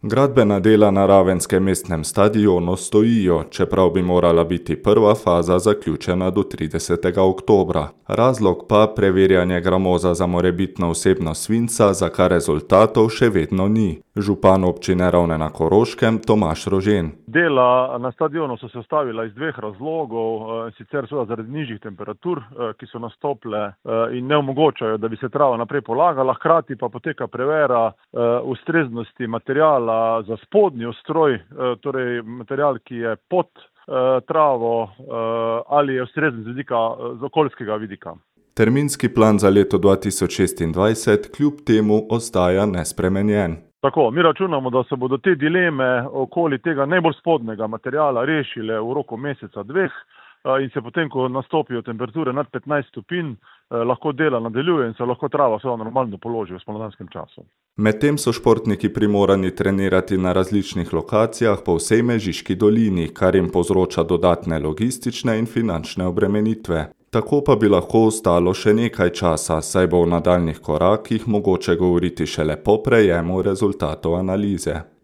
Gradbena dela na ravenskem mestnem stadionu stojijo, čeprav bi morala biti prva faza zaključena do 30. oktobra. Razlog pa preverjanje gramoza za morebitno vsebnost svinca, za kar rezultatov še vedno ni. Župan občine Ravne na Koroškem Tomaž Rožen. Dela na stadionu so se ustavila iz dveh razlogov, sicer seveda zaradi nižjih temperatur, ki so nastopile in ne omogočajo, da bi se trava naprej polagala, hkrati pa poteka prevera ustreznosti materiala za spodnji ustroj, torej material, ki je pod travo ali je ustrezen z okoljskega vidika. Terminski plan za leto 2026 kljub temu ostaja nespremenjen. Tako, mi računamo, da se bodo te dileme okoli tega najbolj spodnjega materiala rešile v roku meseca, dveh in se potem, ko nastopijo temperature nad 15 stopinj, lahko dela nadaljuje in se lahko trava seveda normalno položi v spomladanskem času. Medtem so športniki primorani trenirati na različnih lokacijah po vsej Mežiški dolini, kar jim povzroča dodatne logistične in finančne obremenitve. Tako pa bi lahko ostalo še nekaj časa, saj bo v nadaljnjih korakih mogoče govoriti šele po prejemu rezultatov analize.